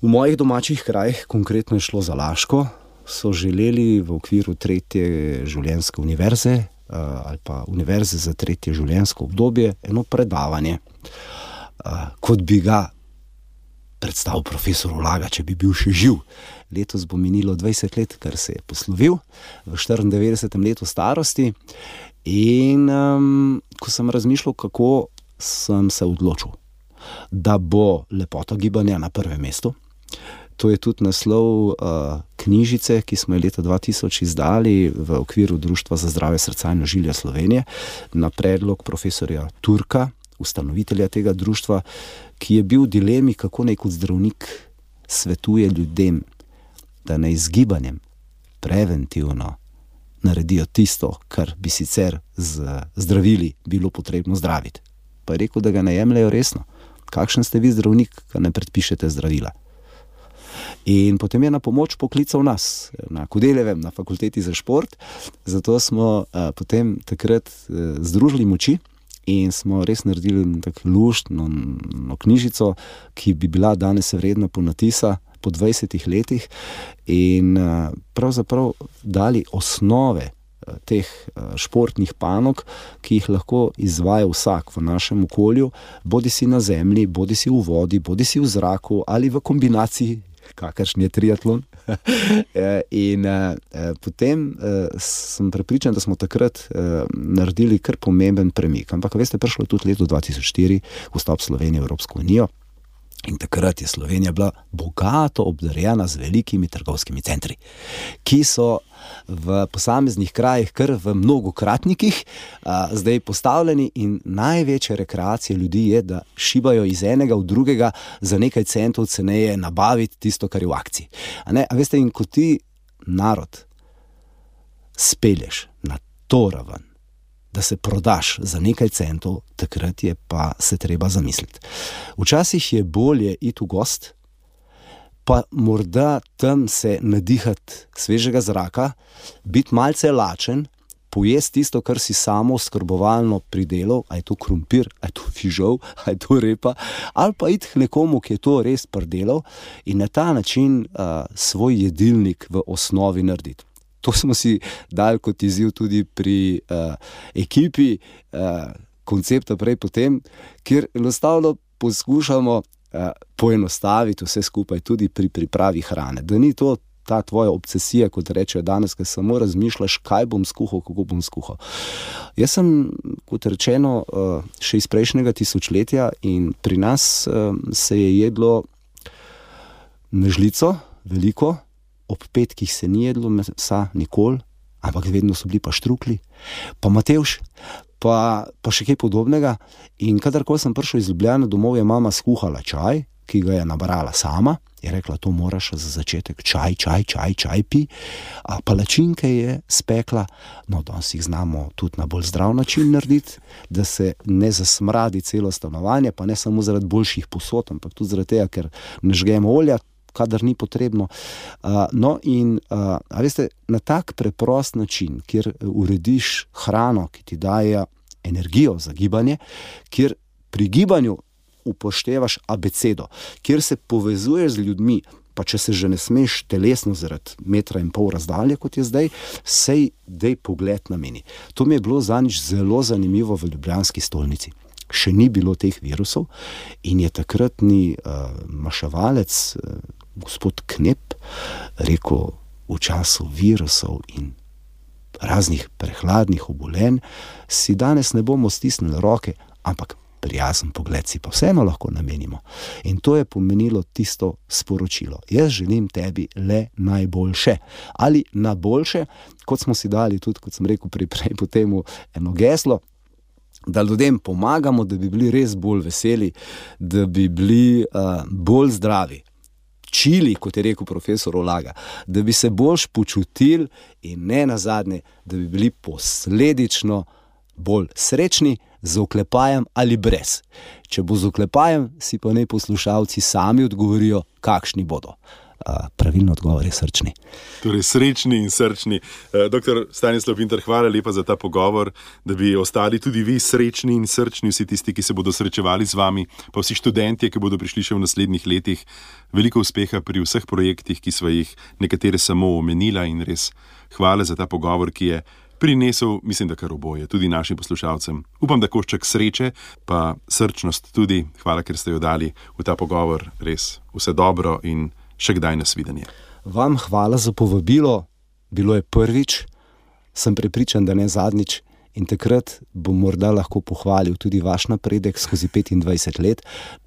V mojih domačih krajih, konkretno je šlo za Laško, so želeli v okviru 3. življenjske univerze ali pa univerze za 3. življenjsko obdobje eno predavanje, kot bi ga predstavil profesor Ulaga, če bi bil še živ. Letos bo minilo 20 let, kar se je poslovil v 94. letu starosti. In ko sem razmišljal, kako sem se odločil, da bo lepota gibanja na prvem mestu. To je tudi naslov knjižice, ki smo jo leta 2000 izdali v okviru Društva za zdravje srca in ožilja Slovenije na predlog profesorja Turka, ustanovitelja tega društva, ki je bil v dilemi, kako naj kot zdravnik svetuje ljudem, da naj z gibanjem preventivno naredijo tisto, kar bi sicer z zdravili bilo potrebno zdraviti. Pa je rekel, da ga ne jemljajo resno. Kakšen ste vi zdravnik, kar ne predpišete zdravila? In potem je na pomoč poklical nas, na Kodeljevem, na fakulteti za šport, zato smo potem takrat združili moči in smo res naredili tako luštno knjižico, ki bi bila danes vredna ponatisa po 20 letih in pravzaprav dali osnove teh športnih panog, ki jih lahko izvaja vsak v našem okolju, bodi si na zemlji, bodi si v vodi, bodi si v zraku ali v kombinaciji, kakršen je triatlon. In potem sem prepričan, da smo takrat naredili kar pomemben premik. Ampak veste, prišlo je tudi leto 2004, vstop Slovenije v Evropsko unijo. In takrat je Slovenija bila bogato obdarjena z velikimi trgovskimi centri, ki so v posameznih krajih, kar v mnogokratnikih, zdaj postavljeni, in največja rekreacija ljudi je, da šibajo iz enega v drugega za nekaj centov ceneje nabaviti tisto, kar je v akciji. A veste, in ko ti narod spelješ na to raven, da se prodaš za nekaj centov, takrat je pa se treba zamisliti. Včasih je bolje iti v gost, pa morda tam se nadihati svežega zraka, biti malce lačen, pojesti tisto, kar si samo oskrbovalno pridelal, a je to krompir, a je to fižol, a je to repa, ali pa iti k nekomu, ki je to res pridelal, in na ta način svoj jedilnik v osnovi narediti. To smo si dali kot izziv tudi pri ekipi koncepta prej potem, kjer enostavno poskušamo poenostaviti vse skupaj tudi pri pripravi hrane. Da ni to ta tvoja obsesija, kot rečejo danes, ker samo razmišljaš, kaj bom skuhal, kako bom skuhal. Jaz sem, kot rečeno, še iz prejšnjega tisočletja in pri nas se je jedlo na žlico, veliko. Ob petkih se ni jedlo mesa nikoli, ampak vedno so bili pa štrukli, pa matevž, pa še kaj podobnega. In kadarkoli sem prišel iz Ljubljane domov, je mama skuhala čaj, ki ga je nabrala sama, je rekla, to moraš za začetek čaj pi, a palačinke je spekla, no danes jih znamo tudi na bolj zdrav način narediti, da se ne zasmradi celo stanovanje, pa ne samo zaradi boljših posod, ampak tudi zaradi tega, ker ne žgemo olja, kadar ni potrebno. No in, a veste, na tak preprost način, kjer urediš hrano, ki ti daje energijo za gibanje, kjer pri gibanju upoštevaš abecedo, kjer se povezuješ z ljudmi, pa če se že ne smeš telesno zaradi 1,5 metra razdalje, kot je zdaj, sej dej pogled na meni. To mi je bilo zanič zelo zanimivo v ljubljanski stolnici. Še ni bilo teh virusov in je takratni maševalec, gospod Knep, rekel, v času virusov in raznih prehladnih obolenj si danes ne bomo stisnili roke, ampak prijazen pogled si pa vseeno lahko namenimo. In to je pomenilo tisto sporočilo. Jaz želim tebi le najboljše. Ali na boljše, kot smo si dali tudi, kot sem rekel prej po temu, eno geslo, da ljudem pomagamo, da bi bili res bolj veseli, da bi bili bolj zdravi. Čili, kot je rekel profesor Olaga, da bi se boljš počutili in ne nazadnje, da bi bili posledično bolj srečni, z oklepajem ali brez. Če bo z oklepajem, si pa naj poslušalci sami odgovorijo, kakšni bodo. Pravilno odgovor je srčni. Torej srečni in srčni. Doktor Stanislav Pintar, hvala lepa za ta pogovor, da bi ostali tudi vi srečni in srčni, vsi tisti, ki se bodo srečevali z vami, pa vsi študentje, ki bodo prišli še v naslednjih letih. Veliko uspeha pri vseh projektih, ki sva jih nekatere samo omenila, in res hvala za ta pogovor, ki je prinesel, mislim, da kar oboje, tudi našim poslušalcem. Upam, da košček sreče, pa srčnost tudi. Hvala, ker ste jo dali v ta pogovor. Res vse dobro in še kdaj nasvidenje. Vam hvala za povabilo. Bilo je prvič, sem prepričan, da ne zadnjič, in takrat bom morda lahko pohvalil tudi vaš napredek skozi 25 let.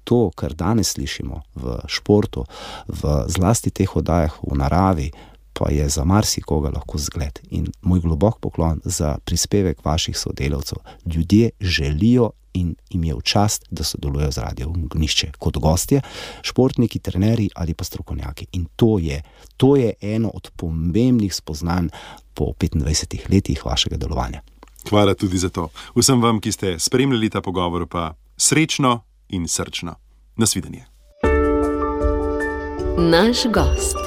To, kar danes slišimo v športu, v zlasti teh oddajah v naravi, pa je za marsikoga lahko zgled. In moj globok poklon za prispevek vaših sodelavcev. Ljudje želijo in jim je v čast, da sodelujejo z Radijem Ognjišče kot gostje, športniki, trenerji ali pa strokovnjaki. In to je eno od pomembnih spoznanj po 25 letih vašega delovanja. Hvala tudi za to. Vsem vam, ki ste spremljali ta pogovor, pa srečno in srčno. Nasvidenje. Naš gost.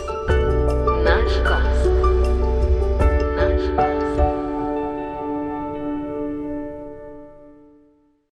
Naš gost.